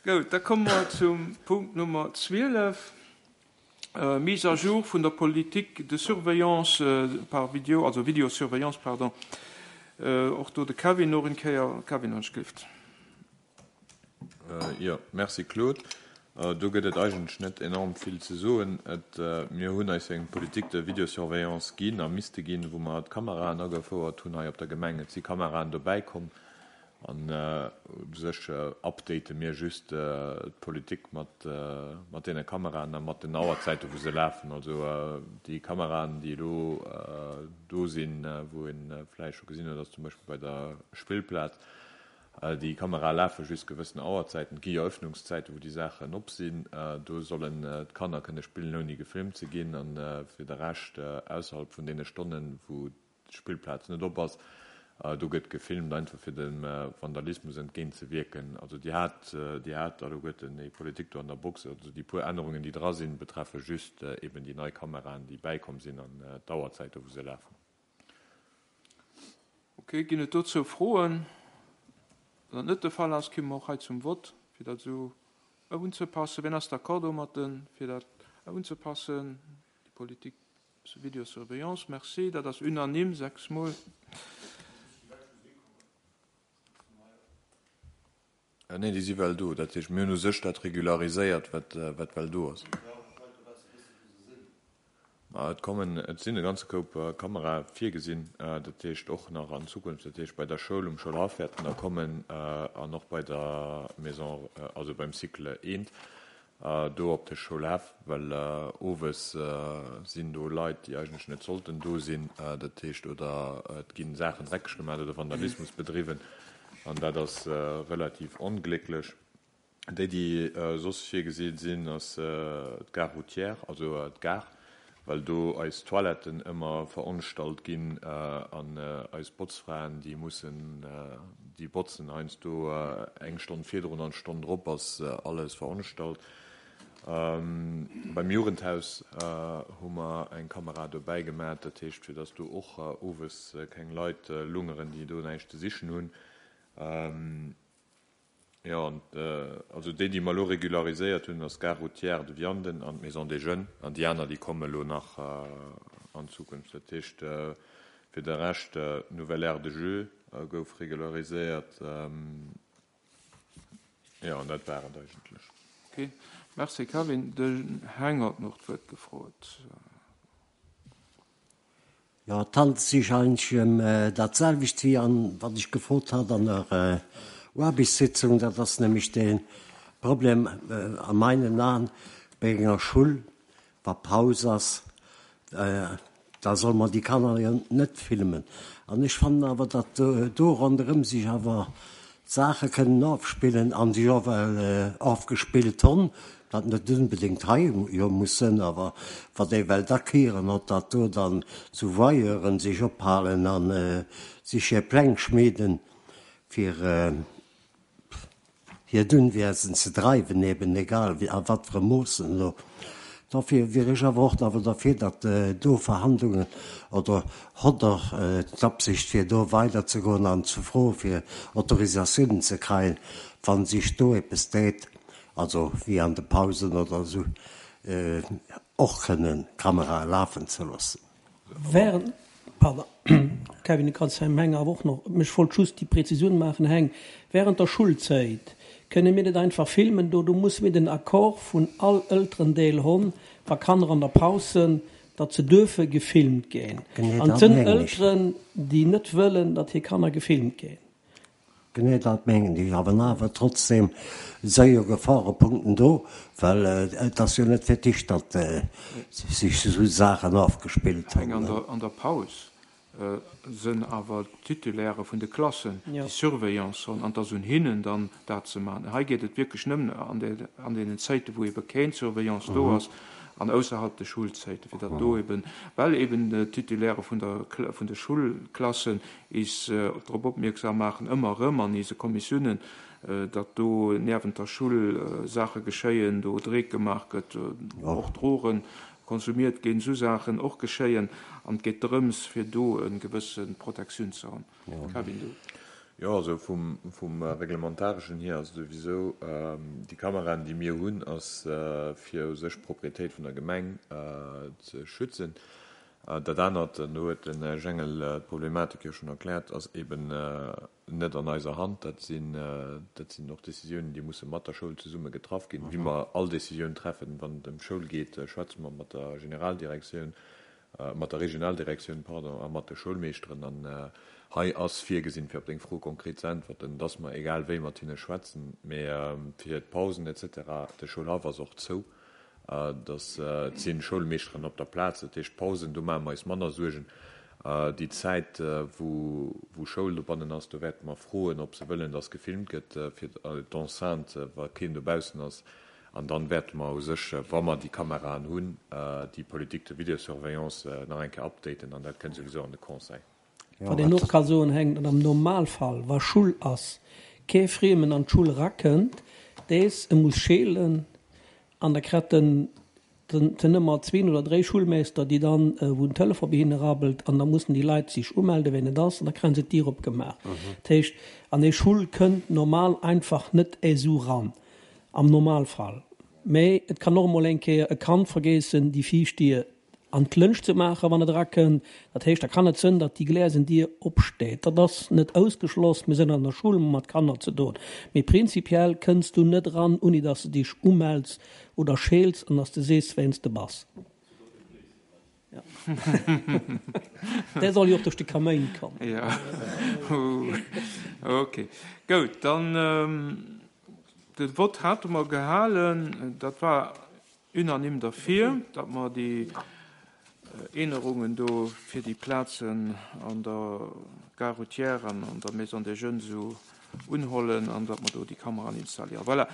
Goud, da komme mer zum Punkt Nummer 12, Mise à jour vun der Politique de surveillance par vidéo, also Vidéosurveillance, pardon. Och do de Kevin och en Kéier. Kevin, wann ech gelift. Jo, merci Claude. Do gëtt et eigentlech net enorm vill ze soen. Et, mir hunn eis eng Politique de vidéosurveillance ginn a misste ginn, wou mer d'Kameraen agefouert hunn hei op der Gemeng. Et si Kameraen dobäi komm an u sech update mir just d'Politik mat, mat deene Kameraen a mat den Auerzäite wou se lafen. Also déi Kameraen, déi elo do sinn, wou ee vläicht scho gesinn huet, ass zum Beispill bei der Spillplaz, Déi Kamerae lafe just gewëssen Auerzäiten. Et gi jo Öffnungszäiten, wou déi Saachen op sinn. Do sollen d'Kanner kënne spillen, ouni gefilmt ze ginn. A fir de Rescht, ausserhalb vun deene Stonnen, wou d'Spillplaz net op ass, do gëtt gefilmt, einfach fir dem Vandalismus entgéint ze wierken. Also Dir hat, Dir hat alleguerten déi Politik do an der Box. Also déi puer Ännerungen, déi dra sinn, betreffe just eben déi nei Kameraen, déi bäikomm sinn an d'Auerzäite wou se lafen. Ok, ginn et dozou Froen? Wann dat net de Fall ass, kimme mer och hei zum Vott, fir dat esou unzepassen. Wien ass d'accord domatten, fir dat unzepassen, déi Politique de vidéosurveillance? Merci, dat ass unanime, sechsmol. Nee, déi si well do. Dat heescht, mir hunn u sech dat regulariséiert, wat, wat well do ass. Ma et kommen, et sinn e ganze Koup Kamerae virgesinn, dat heescht och nach an Zukunft, dat heescht bei der Schoul, um Schoulhaff wäerten der kommen an och bei der Maison, also beim Cycle eent. Do op de Schoulhäff, well owes sinn do Leit, déi eigentlech net sollten do sinn, dat heescht, oder et gi Saachen dreckeg gemaach oder Vandalismus bedriwwen an dat ass relativ onglécklech. Déi, déi soss virgesi sinn, ass d'Gare routière, also d'Gare, well do eis Toiletten ëmmer veronstalt ginn an eis Botzfraen, déi mussen, déi botzen heiansdo eng Stonn virdrun an d'Stonn drop ass alles veronstalt. Beim Jugendhaus hu mer eng Kamera dobäi gemat, dat heescht fir datt do och owes keng Leit lungeren, déi do näischt ze sichen hunn. Jo, an also déi, déi mer elo regulariséiert hunn, ass d'Gare routière de Vianden an d'Maison des Jeunes. An déi aner, déi komme elo nach an Zukunft. Dat heescht, fir de Rescht, d'Nouvelle Aire de jeux gouf regulariséiert. Jo, an dat war et eigentlech. Ok, merci Kevin. Den Heng huet nach d'Wuert gefrot. Jo, et handelt sech eigentlech ëm dat selwecht wéi an wat ech gefrot hat an der Aarbechtssitzung. Dat ass nämlech de Problem a meinen Aen bei enger Schull, wa Paus ass, da soll mer déi Kanner jo net filmen. An ech fannen awer, datt do ronderëm sech awer Saache kënnen ofspillen an sech och well ofgespillt honn, wat net onbedéngt hei jo muss sënn, awer wat ee well dakieren hott, datt do dann zu Voyeuren sech ophalen a sech hir Pläng schmieden, fir hiert Unwiesen ze dreiwen, eben egal a wat fir e Moossen elo. Dofir wier ech awer och awer derfir, datt do Verhandlungen, oder hott Der d'Absicht fir do weiderzegoen an ze froe fir Autorisatiounen ze kreien, wa sech do eppes deet, also wéi an de Pausen oder esou, och kënnen Kamerae lafen ze loossen? Während, pardon, Kevin, du kanns beim Heng awer och nach, ech wollt just déi Präzisioun maachen, Heng, während der Schulzäit kënne mir net einfach filmen do, do musse mir den Accord vun all Elterendeel honn, wa Kanner an der Paus sënn, datt se duerfe gefilmt ginn. Genee An dat et sënn mengen ech. Elteren, déi net wëllen, datt hir Kanner gefilmt ginn. Genee dat mengen ech. Awer awer trotzdem si jo Gefarepunkten do, well et ass jo net fir d'éischt, datt sech esou Saachen ofgespillt hunn. An der Paus sënn awer d'Titulairë vun de Klassen, déi Surveillance hunn, an et ass un hinnen dann dat ze maachen. Hei geet et wierklech nëmmen an deenen Zäiten, wou ebe keng Surveillance do ass an ausserhalb de Schulzäiten, fir datt do eben, well eben d'Titulairë vun der vun de Schulklassen is drop opmierksam maachen, ëmmer erëm an ise Kommissiounen, datt do niewent der Schull Saache geschéien, do Dreek gemaach gëtt, och Drogen konsumiert ginn, esou Saachen och geschéien. An et geet drëms, fir do e gewësse Protektioun ze hunn. Kevin, du. Jo, also vum, vum Reglementareschen hier ass et souwisou, déi Kameraen, déi mir hunn, ass fir u sech d'Proprietéit vun der Gemeng ze schützen. Dat anert, an do huet de Här Jengel d'Problematik jo schonn erkläert, ass eben net an eiser Hand. Dat sinn, dat sinn och Décisiounen, déi musse mat der Schoul zesumme getraff ginn. Wéi mer all Décisioun treffen, wann et ëm d'Schoul geet, schwätze mer mat der Generaldirektioun. mat der Regionaldirektioun, pardon, a mat de Schoulmeeschteren. An hei ass virgesinn, fir op deng Fro konkret ze äntwerten, dass mer egal wéi mat hinne schwätzen, mä fir d'Pausen et cetera, de Schoulhaff ass och zou, dass et si Schoulmeeschteren op der Plaz, dat heescht d'Pausen, do maache mer eis manner Suergen. Déi Zäit, wou wou Schoul dobannen ass, do wäerte mer froen, ob se wëllen, dass gefilmt gëtt fir d'Enceinte, wa keen dobaussen ass. An dann wäerte mer u sech, wa mer déi Kameraen hunn, déi Politique de vidéosurveillance nach eng Kéier updaten an dat kënnt souwisou an de Conseil. Wat een och ka soen, Heng, datt am Normalfall, wa Schull ass, kee Friemen an d'Schull erakënnt, dés e muss scheelen an da kret en den ëmmer zween oder dréi Schullmeester, déi dann, wou den Telefon bei hinne rabbelt an da mussen déi Leit sich umelde ween et ass an da kréien se d'Dier opgemaach. Dat heescht, an ee Schull kënnt normal einfach net esou ran. Am Normalfall. Mä et kann och emol eng Kéier e Kand vergeessen, déi viischt Dier an d'Lënsch ze maachen, wann et erakënnt. Dat heescht, da kann et sënn, datt déi gläsen Dier opsteet. Dat ass net ausgeschloss. Mir sënn an der Schull, mat Kanner ze doen. Mee prinzipiell kënns du net eran, unni datt s de dech umells oder scheels an datt s de sees, ween s de bass. Dee soll jo och duerch de Kaméin kommen. Jo, ok. Goud, dann de Vott hate mer gehalen. Dat war unanime derfir, datt mer déi Änerungen do fir déi Plazen an der Gare routière an an der Maison des Jeunes esou unhollen an datt mer do déi Kameraen installieren. Voilà.